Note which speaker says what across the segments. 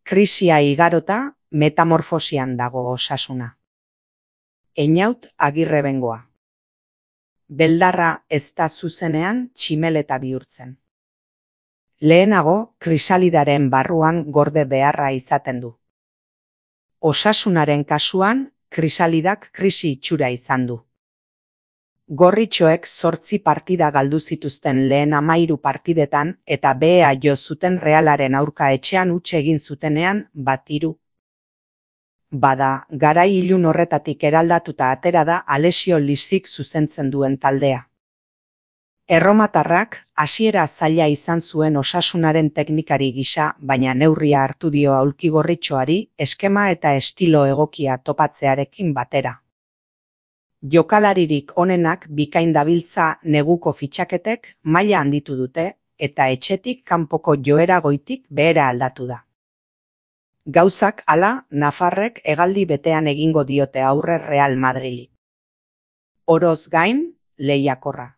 Speaker 1: krisia igarota, metamorfosian dago Osasuna. Einaut Agirrebengoa. Beldarra ez da zuzenean tximeleta bihurtzen. Lehenago, krisalidaren barruan gorde beharra izaten du. Osasunaren kasuan, krisalidak krisi itxura izan du. Gorritxoek 8 partida galdu zituzten lehen 13 partidetan eta behea jo zuten Realaren aurka etxean huts egin zutenean 1-3. Bada, garai ilun horretatik eraldatuta atera da Alessio Lizzik zuzentzen duen taldea. Erromatarrak hasiera zaila izan zuen Osasunaren teknikari gisa, baina neurria hartu dio aulki gorritxoari eskema eta estilo egokia topatzearekin batera. Jokalaririk onenak bikain dabiltza neguko fitxaketek maila handitu dute eta etxetik kanpoko joera goitik behera aldatu da. Gauzak hala, nafarrek hegaldi betean egingo diote aurre Real Madrili. Oroz gain, lehiakorra.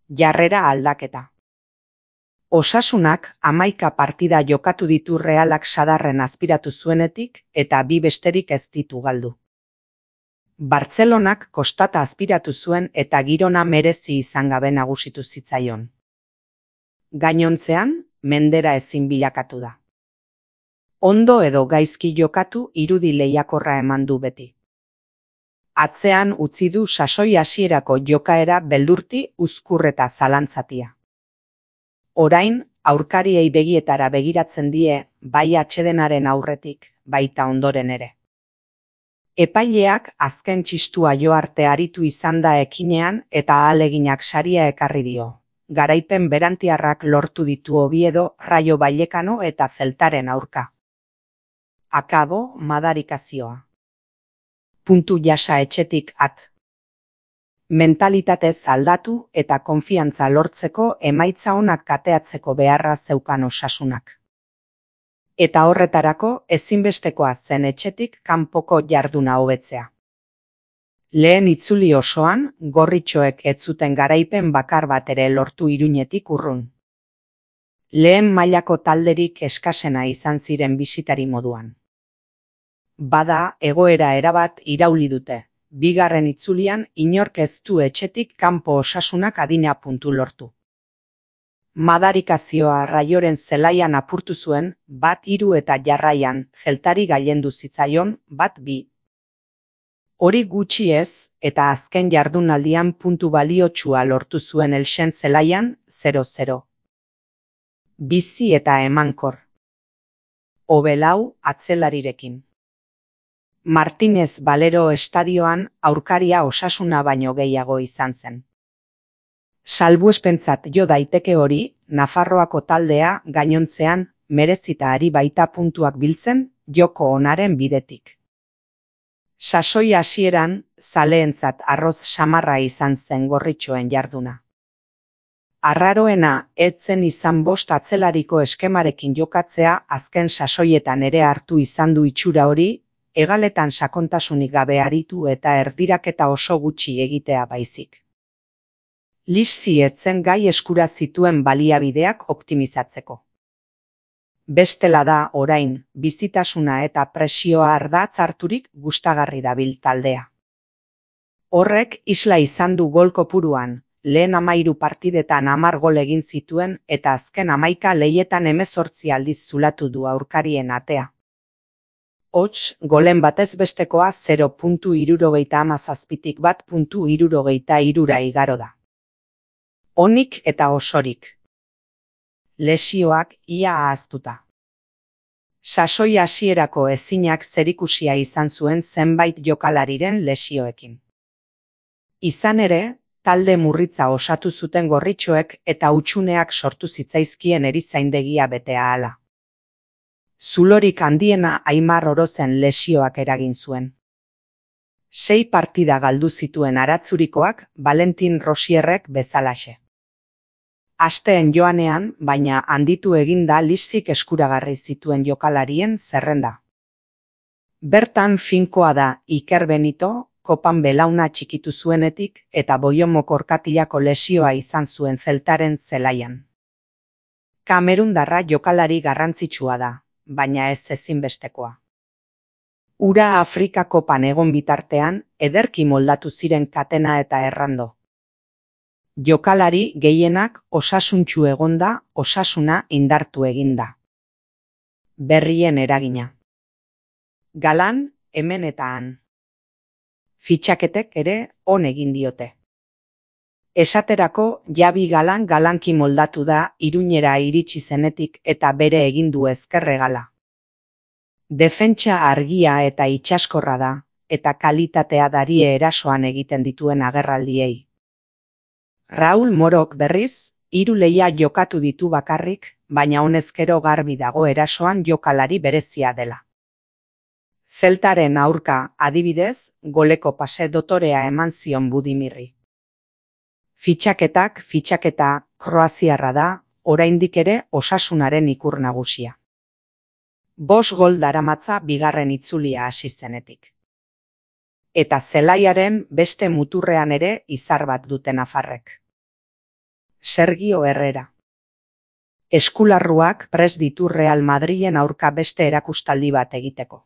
Speaker 1: Jarrera aldaketa. Osasunak 11 partida jokatu ditu Realak sadarren azpiratu zuenetik eta 2 besterik ez ditu galdu. Bartzelonak kostata azpiratu zuen eta Girona merezi izan gabe nagusitu zitzaion. Gainontzean, mendera ezin bilakatu da. Ondo edo gaizki jokatu irudi lehiakorra eman du beti. Atzean utzi du sasoi hasierako jokaera beldurti, uzkur eta zalantzatia. Orain, aurkariei begietara begiratzen die, bai atsedenaren aurretik, baita ondoren ere. Epaileak azken txistua jo arte aritu izan da ekinean eta ahaleginak saria ekarri dio. Garaipen berantiarrak lortu ditu Oviedo, Rayo Vallecano eta Zeltaren aurka. Akabo, madarikazioa. Puntu jasa etxetik at. Mentalitatez aldatu eta konfiantza lortzeko emaitza onak kateatzeko beharra zeukan Osasunak. Eta horretarako ezinbestekoa zen etxetik kanpoko jarduna hobetzea. Lehen itzuli osoan, gorritxoek ez zuten garaipen bakar bat ere lortu Iruñetik urrun. Lehen mailako talderik eskasena izan ziren bisitari moduan. Bada, egoera erabat irauli dute. Bigarren itzulian inork ez du etxetik kanpo Osasunak adina puntu lortu. Madarikazioa Raioren zelaian apurtu zuen, 1-3 eta jarraian, Zeltari gailendu zitzaion, 1-2. Hori gutxi ez, eta azken jardunaldian puntu baliotsua lortu zuen Elxen zelaian, 0-0. Bizi eta emankor. Obelau atzelarirekin. Martínez Valero estadioan aurkaria Osasuna baino gehiago izan zen. Salbuespentzat jo daiteke hori, Nafarroako taldea gainontzean merezita ari baita puntuak biltzen joko onaren bidetik. Sasoi hasieran, zaleentzat arroz samarra izan zen gorritxoen jarduna. Arraroena etzen izan 5 atzelariko eskemarekin jokatzea azken sasoietan ere hartu izan du itxura hori, hegaletan sakontasunik gabe aritu eta erdiraketa oso gutxi egitea baizik. Lizzi etzen gai eskura zituen baliabideak optimizatzeko. Bestela da, orain, bizitasuna eta presioa ardatz harturik gustagarri dabil taldea. Horrek isla izan du gol kopuruan, lehen 13 partidetan 10 gol egin zituen eta azken 11 lehietan 18 aldiz zulatu du aurkarien atea. Hots, golen batez bestekoa 0.77tik 1.73 igaro da. Onik eta osorik. Lesioak ia ahaztuta. Sasoi hasierako ezinak zerikusia izan zuen zenbait jokalariren lesioekin. Izan ere, talde murritza osatu zuten gorritxoek eta hutsuneak sortu zitzaizkien erizaindegia betea hala. Zulorik handiena Aimar Orozen lesioak eragin zuen. 6 partida galdu zituen Aratzurikoak Valentin Rosierrek bezalaxe. Asteen joanean, baina handitu eginda Lizzik eskuragarri zituen jokalarien zerrenda. Bertan finkoa da Iker Benito, kopan belauna txikitu zuenetik eta Boiomo korkatilako lesioa izan zuen Zeltaren zelaian. Kamerundarra jokalari garrantzitsua da, baina ez ezinbestekoa. Ura Afrika kopan egon bitartean, ederki moldatu ziren Katena eta Errando. Jokalari gehienak osasuntsu egonda, osasuna indartu eginda. Berrien eragina. Galan, hemen eta han. Fitxaketek ere on egin diote. Esaterako Javi Galan galanki moldatu da Iruñera iritsi zenetik eta bere egin du ezkerregala. Defentsa argia eta itsaskorra da, eta kalitatea darie erasoan egiten dituen agerraldiei. Raul Morok berriz, 3 lehia jokatu ditu bakarrik, baina honezkero garbi dago erasoan jokalari berezia dela. Zeltaren aurka, adibidez, goleko pase dotorea eman zion Budimirri. Fitxaketa kroaziarra da, oraindik ere osasunaren ikur nagusia. 5 gol daramatza bigarren itzulia hasi zenetik. Eta zelaiaren beste muturrean ere izar bat dute nafarrek. Sergio Herrera. Eskularruak prest ditu Real Madrilen aurka beste erakustaldi bat egiteko.